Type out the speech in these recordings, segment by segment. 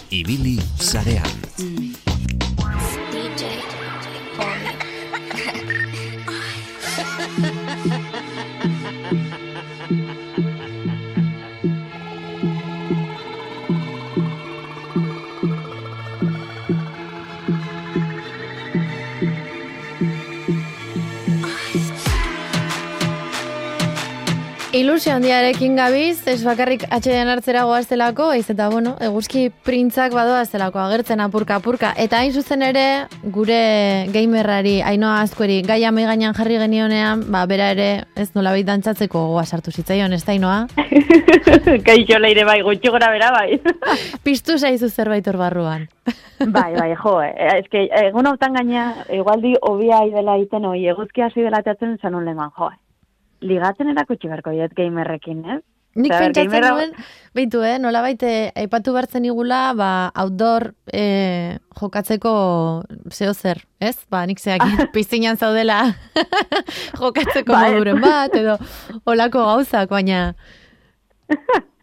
Ibili sarean. Ilusio handiarekin gabiz, ez bakarrik atxedean hartzera goaztelako, ez eta, eguzki printzak badoaztelako agertzen apurka. Eta hain zuzen ere, gure gamerrari, Ainhoa Azkueri, gaia mai gainean jarri genionean, bera ere, ez nolabait dantzatzeko goa sartu zitzaion, ez da, Ainhoa? Kaixo leire bai, gutxi gora bera bai. Piztu zaizu zerbait hor barruan. Bai, jo, eske, egun hautan gaina, igualdi hobia idela iten, eguzki hasi dela teatzen zanon leman, jo, ligatzen erakutsi berko diet gamerrekin, ez? Nik pentsatzen nuen, behitu, nola baite, aipatu bertzen igula, outdoor jokatzeko zeo zer, ez? Nik zeak piztinan zaudela jokatzeko moduren bat, edo olako gauzak, baina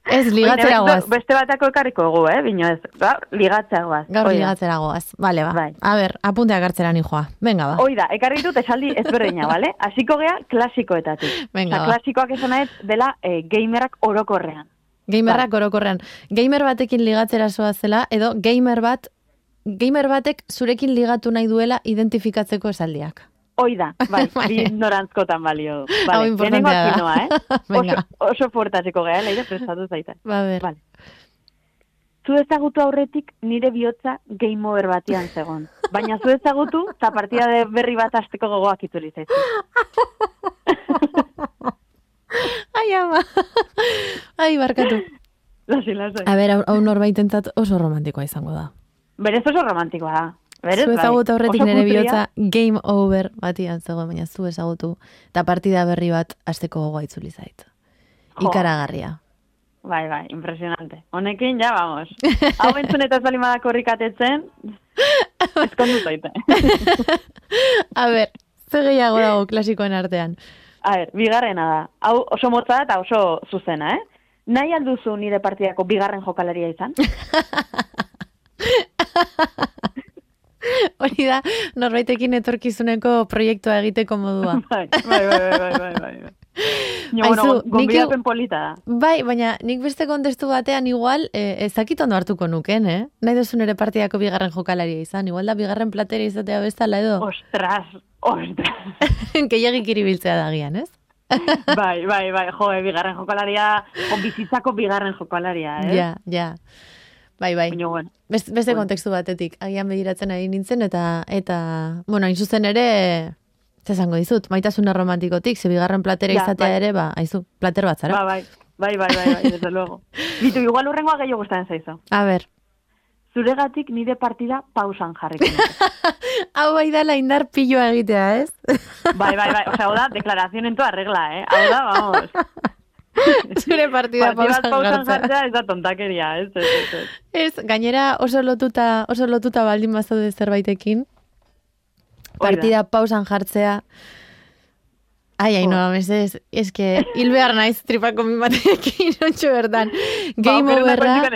ez, ligatzera goaz. Beste batako ekarriko egu, bino ez, ligatzera goaz. Gaur ligatzera goaz, bale, Bai. A ber, apunteak hartzera nijoa, venga, ba. Oida, ekarri dut esaldi ezberdina, bale? Hasiko gea klasikoetatik. Venga, ba. Klasikoak esan ez dela gamerrak orokorrean. Gamerrak orokorrean. Gamer batekin ligatzera zoazela, edo gamer batek zurekin ligatu nahi duela identifikatzeko esaldiak. Oida, bai, bi norantzkotan balio. Hau importantea da. Venga. Oso fuertatzeko gea, leire prestatu zaita. Ber. Vale. Zu ezagutu aurretik nire bihotza game over batian zegon. Baina zu ezagutu, eta partida de berri bat asteko gogoak itzuli zaizu. Ai, ama. Ai, barkatu. Lasai. A ber, hau norbaitentzat oso romantikoa izango da. Berez oso romantikoa da. Zu ezagutu aurretik nire bihotza game over batian zegoen, baina zu ezagutu eta partida berri bat asteko gogoa itzuli zait. Ikaragarria. Bai, impresionante. Honekin, ja, vamos. Hau entzun eta zalimada korrikatetzen, eskondu zaite. A ber, ze gehiago dago klasikoen artean? A ber, bigarrena da. Hau oso motza eta oso zuzena, Nahi alduzu nire partidako bigarren jokalaria izan? Hori da, norbaitekin etorkizuneko proiektua egiteko modua. Bai. Gonbidapen polita da. Bai, baina nik beste kontestu batean igual, ezakit ondo hartuko nuken, Nahi duzu nire partidako bigarren jokalaria izan, igual da bigarren platera izatea bezala edo. Ostras. Gehiagik iribiltzea da gian, ez? Bai, bigarren jokalaria, bizitzako bigarren jokalaria, Ja. Bai. Bueno. Beste kontekstu batetik, agian begiratzen ari nintzen, eta hain zuzen ere, zezango dizut, maitasuna romantikotik, ze bigarren platera izatea ere, haizu, plater bat zara. Bai, desde luego. Bitu, igual urrengoa gehiago gustatzen zaizu. A ber. Zuregatik nire partida pausan jarriko. Hau bai da indar piloa egitea, ez? Bai. Hau da, deklaración en toda regla, Hau da, vamos. Zure partida pausan jartzea ez da tontakeria, ez. Ez, gainera oso lotuta baldin bazaude zerbaitekin. Partida pausan jartzea. Ai, no, eske, hil behar naiz tripako min batekin, ontsu bertan. Game overra.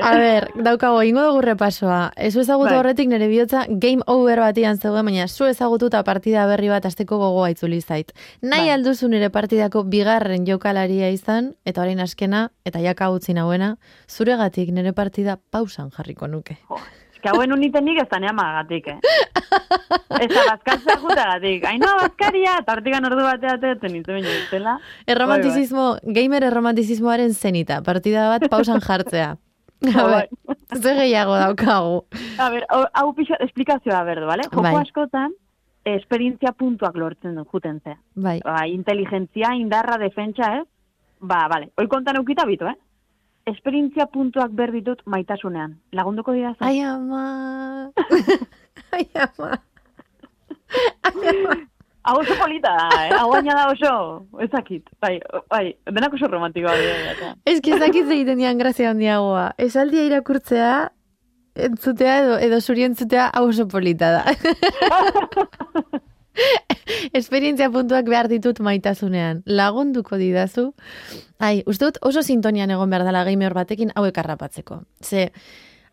A ber, daukago, ingo dugu repasoa. Zu ezagutu horretik nire bihotza game over batian zegoen, baina zu ezagututa partida berri bat asteko gogoa itzuli zait. Nahi alduzu nire partidako bigarren jokalaria izan, eta orain askena, eta jaka utzi nauena, zuregatik nire partida pausan jarriko nuke. Que hauen uniten nik ez tanea magatik, Eta bazkatzea jutagatik. Ainhoa bazkaria, eta hortikan ordu bateatzen nintzen baino iztela. Gamer erromantizismoaren zenita, partida bat pausan jartzea. Ze gehiago daukagu. A ber, hau pixo, esplikazioa berdu, bale? Joko askotan, esperientzia puntuak lortzen du, juten zea. Bai. Inteligentzia, indarra, defentsa, bale. Hoi kontan eukita bitu, esperientzia puntuak berditut maitasunean. Lagunduko dira zen? Ai, ama. Hau oso polita da, Hau baina da oso, ezakit. Bai, denak oso romantikoa dira. Ezakit egiten dian grazia handiagoa. Esaldia irakurtzea, entzutea edo zuri entzutea hau oso polita da. esperientzia puntuak behar ditut maitasunean. Lagunduko didazu. Uste dut oso sintonian egon behar dela gamer batekin hauek harrapatzeko. Ze,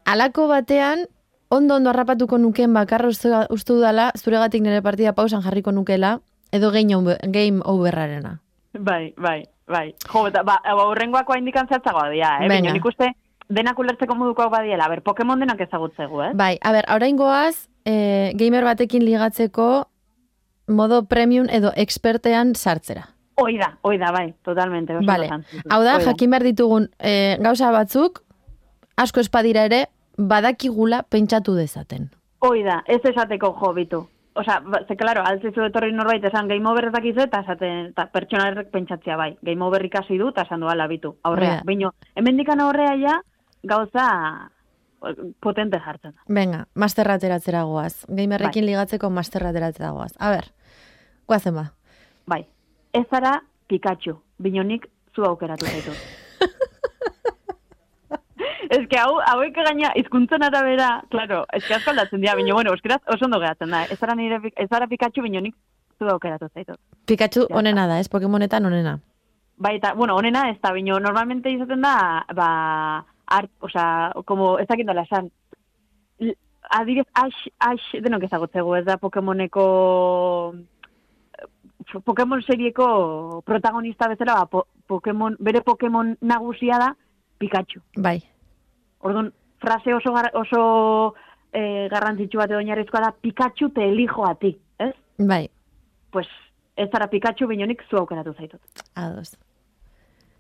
alako batean, ondo harrapatuko nuken bakarra uste dudala, zuregatik nire partida pausan jarriko nukela, edo game overrarena. Bai. Jo, eta horrengoako haindikan zehatzagoa dira, Baina nik uste denak ulertzeko modukoak badiela. Pokemon denak ezagutzegu, Bai, oraingoaz, gamer batekin ligatzeko modo premium edo expertean sartzera. Oida, bai, totalmente. Vale. Hau da, jakin behar ditugun gauza batzuk, asko espadira ere, badakigula pentsatu dezaten. Oida, ez esateko jo bitu. Osa, claro, altzizu etorri norbait esan game over dakizu eta esaten pertsonarrek pentsatzea bai. Game over ikasi du eta esan doa labitu. Aurrea, baino, hemendikan aurrea ja gauza potente jartzen. Venga, masterra ateratzera goaz. Gamerrekin ligatzeko masterra ateratzera goaz. A ber, guazen ba. Bai, ez zara Pikachu, binonik zu aukeratu zaitu. Ez que hauek gaina hizkuntzen arabera, claro, ez que asko aldatzen dira, baina bueno, euskeraz oso ondo geratzen da. Ez zara Pikachu, binonik zu aukeratu zaitu. Pikachu onena da, ez? Pokemonetan onena. Bai, eta, bueno, onena ez da, bino, normalmente izaten da, como, ez dakit dola esan, adibidez, Ash, denok ezagutzegu, ez da Pokemoneko, Pokemon serieko protagonista bezala, bere Pokemon nagusia da Pikachu. Bai. Orduan, frase oso garrantzitsu bat edo oinarrizkoa da, Pikachu te elijo a ti, ez? Bai. Pues, ez zara Pikachu, binonik zu aukeratu zaitut. Ados.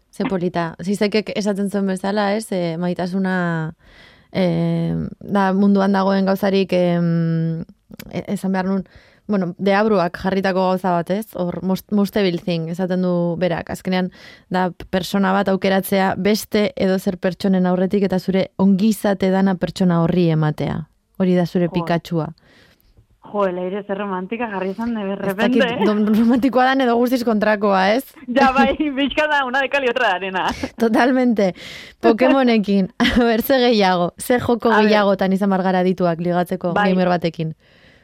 Ze polita. Zizekek esaten zuen bezala, ez? Maitasuna da munduan dagoen gauzarik esan behar nun, bueno, deabruak jarritako gauza bat, ez? Hor, most evil thing, esaten du berak. Azkenean, da persona bat aukeratzea beste edo zer pertsonen aurretik eta zure ongizate dana pertsona horri ematea. Hori da zure Pikachua. Jo, leire zer romantika jarri izan de berrepente. Ez dakit, romantikoa dan edo guztiz kontrakoa, ez? Ja, bai, bizka da, una de cal y otra de arena. Totalmente. Pokemonekin, a ber, ze gehiago, ze joko gehiagotan izan margara dituak ligatzeko gamer batekin.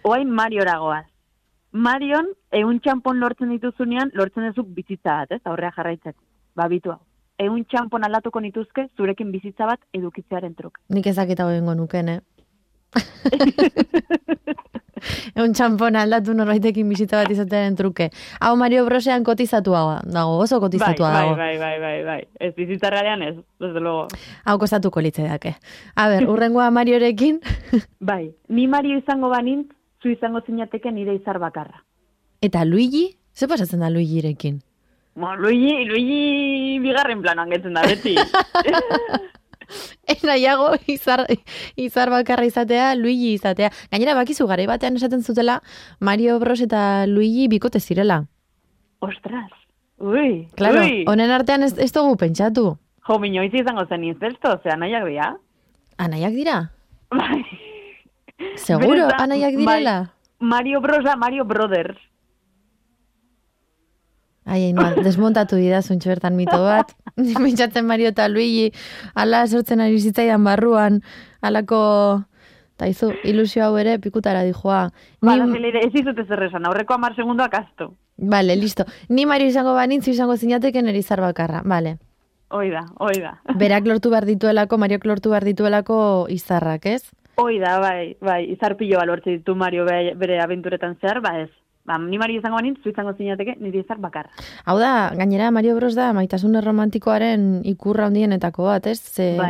Oain Mariora goaz. Marion, txampon lortzen dituzunean, lortzen dezuk bizitza bat, ez? Aurrea jarraitzeko. Babitu hau. Txampon aldatuko nituzke, zurekin bizitza bat edukitzearen truk. Nik ezakita egingo nuken, txampon aldatu norbaitekin bizitza bat izatearen truke. Hau Mario Brosean kotizatua dago, oso kotizatua dago. Bai. Ez bizitza realean ez, desde luego. Hau kostatuko litzedake. A ber, urrengoa Mariorekin. Bai, ni Mario izango banintz, zu izango zinateke nire izar bakarra. Eta Luigi? Ze pasatzen da Luigirekin? Luigi bigarren planoan getzen da beti. Nahiago izar bakarra izatea, Luigi izatea. Gainera bakizu garai batean esaten zutela Mario Bros eta Luigi bikote zirela. Ostras, ui. Claro, honen artean ez dugu pentsatu. Jo, minoiz izango zen inzesto, ze anaiak dira. Anaiak dira? Bai. Seguro, anaiak direla? Mario Bros da Mario Brothers. Desmontatu dira zuntxo bertan mito bat. Pentsatzen Mario eta Luigi ala sortzen ari zitzaidan barruan, alako taizu, ilusio hau ere pikutara dijoa. Ez izute zerrezan, aurreko 10 segundoak astu. Vale, listo. Ni Mario izango banintzu izango zinateken erizar bakarra, vale. Oida. Berak lortu behar dituelako, Mariok lortu behar dituelako izarrak, ez? Oida, bai, izar pilo balortze ditu Mario bere abenturetan zehar, ez. Ni Mario izango banintz, zu izango zinateke nire izar bakarra. Hau da, gainera Mario Bros da maitasun romantikoaren ikurra handienetako bat, ez?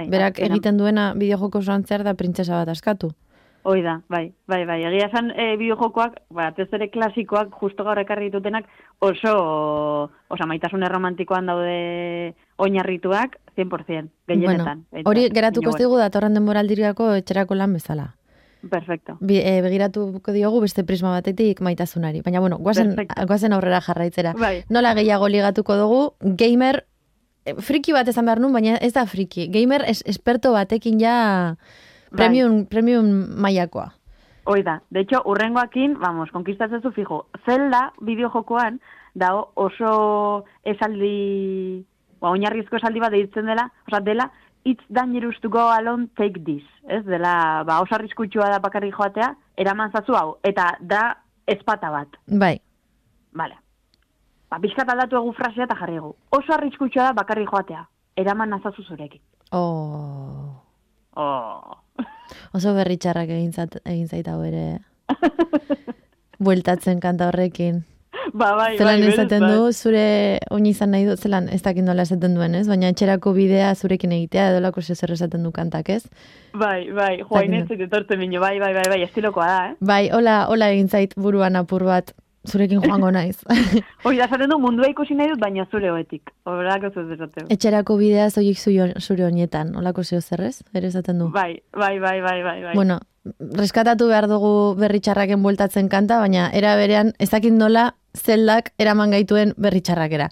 Berak egiten duena bideojoko osoan zehar da printzesa bat askatu. Oida, bai. Egia esan bideojokoak, batez ere klasikoak, justo gaur ekarri ditutenak oso maitasun romantikoan daude oinarrituak 100%, gehienetan. Bueno, hori geratuko zigu datorren denboraldirako etxerako lan bezala. Perfecto. Begiratuko diogu beste prisma batetik maitasunari. Baina, bueno, guazen aurrera jarraitzera. Bai. Nola gehiago ligatuko dugu, gamer, friki bat esan behar nun, baina ez da friki. Gamer esperto batekin ja premium mailakoa. Oida, de hecho, urrengoakin, konkistatzezu fijo, Zelda bideojokoan, dago oso esaldi, oinarrizko esaldi bat deitzen dela, it's dangerous to go alone, take this. Ez dela, oso arriskutsua da bakarrik joatea, eraman zazu hau. Eta da ezpata bat. Bai. Vale. Ba, pixkat aldatu egu frasea eta jarri egu. Oso arriskutsua da bakarrik joatea. Eraman nazazu zurekin. Oh. Oso berritxarrak egin zaita ere. Bueltatzen kanta horrekin. Bai, zelan esaten du, zure oin izan nahi du, zelan ez dakit nola esaten duen, ez? Baina etxerako bidea zurekin egitea, edolako zer esaten du kantak, ez? Bai, joain ez etortzen minio, bai, estilokoa da, eh? Bai, hola egin zait buruan apur bat, zurekin joango naiz. Hoi, da esaten du, mundua ikusi nahi dut, baina zure hoetik. Horrelako zuz esateu. Etxerako bidea zoik zure honietan, holako zeo zerrez, ere esaten du? Bai. Bueno, reskatatu behar dugu berritxarraken bueltatzen kanta, baina era berean, ezakit nola, zeldak eraman gaituen berritxarrakera.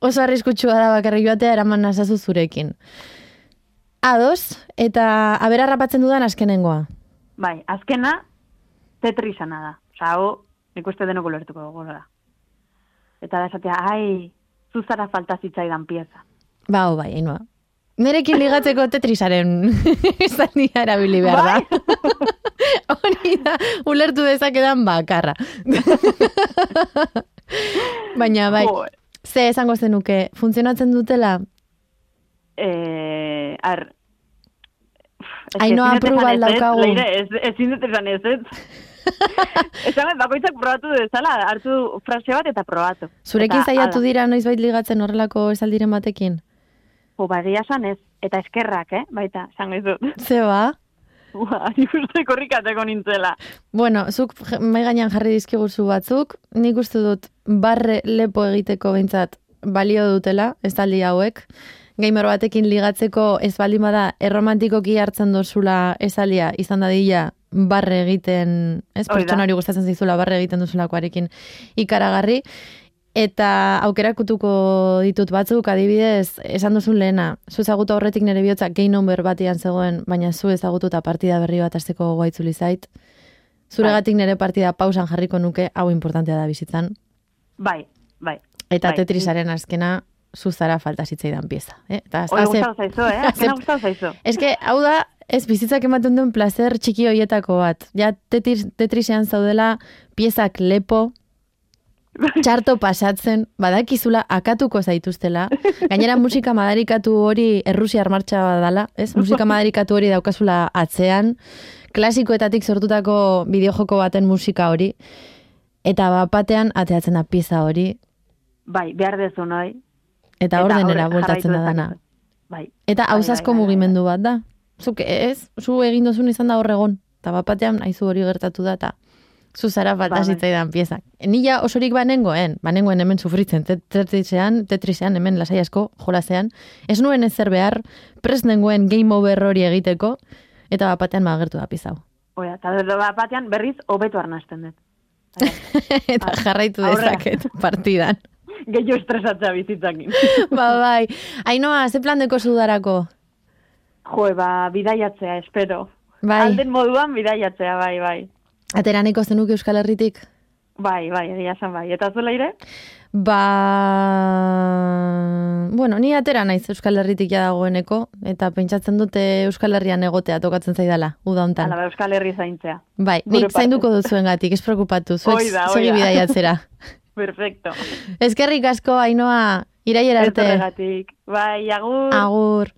Oso arriskutsua da bakarrik joatea eraman nazazu zurekin. Ados, eta abera rapatzen dudan azkenengoa. Bai, azkena tetrisana da. Osa, nik uste denoko lertuko dugu da. Eta da esatea, zuzara falta zitzaidan pieza. Bai, hainua. Nerekin ligatzeko tetrisaren izania erabili behar da. Hori da, ulertu dezakedan bakarra. Baina, bai, ze esango zenuke, funtzionatzen dutela? Ainoa aprobal daukagu. Leire, ezin dut esan ez. Esan, bakoitzak probatu dezala, hartu frase bat eta probatu. Zurekin zaiatu dira noizbait ligatzen horrelako esaldiren batekin? Bagia esan ez, eta eskerrak, baita, esan ez dut. Zeba? Nik uste korrikateko nintzela. Bueno, zuk mai gainean jarri dizkiguzu batzuk, nik uste dut barre lepo egiteko behintzat balio dutela, estaldi hauek. Gamer batekin ligatzeko ez baldin bada erromantikoki hartzen dozula esalia izan dadila barre egiten, ez pertsonari gustatzen zaizula barre egiten duzulakoarekin ikaragarri. Eta aukerakutuko ditut batzuk, adibidez, esan duzun lehena, zu ezagutu aurretik nire bihotza game number batian zegoen, baina zu ezagututa partida berri bat azteko goaitzuli zait. Zuregatik nire partida pausan jarriko nuke, hau importantea da bizitzan. Bai. Eta Tetrisaren azkena, zuzara falta zitzaidan pieza. Hori gustau zaizu, azkena gustau zaizu. Ez que, hau da, ez bizitzak ematen duen placer txiki hoietako bat. Ja, Tetrisean zaudela piezak lepo, txarto pasatzen, badakizula akatuko zaituztela. Gainera musika madarikatu hori Errusiar martxa badala, ez? Musika madarikatu hori daukazula atzean, klasikoetatik sortutako bideojoko baten musika hori, eta batean ateatzen da pieza hori. Bai, behar dezu noi. Eta ordenera bueltatzen da dana. Bai. Eta hausazko mugimendu bat da. Zuk ez, zu egin dozun izan da horregon, eta batean aizu hori gertatu da, eta zuzara falta zitzaidan piezak. Nila osorik banengoen hemen sufritzen, Tetrisean hemen lasai asko, jolasean. Ez nuen ezer behar, prest nengoen game over hori egiteko, eta batean agertu da piezau. Oia, eta batean berriz hobeto arnasten dut. Eta jarraitu dezaket partidan. Gehiago estresatzea bizitzakin. Bai. Ainoa, ze plan deko zudarako? Bidaiatzea, espero. Bai. Alden moduan bidaiatzea, bai. Ateraneko zenuke Euskal Herritik? Bai, egia esan bai. Eta zu Leire? Bueno, ni atera naiz Euskal Herritik ja dagoeneko, eta pentsatzen dute Euskal Herrian egotea tokatzen zaidala, uda hontan. Hala, Euskal Herri zaintzea. Bai, nik zainduko duzuengatik, ez preokupatu, zuek segi bidaiatzera. Perfecto. Eskerrik asko, Ainoa, iraiera arte. Bai, agur. Agur.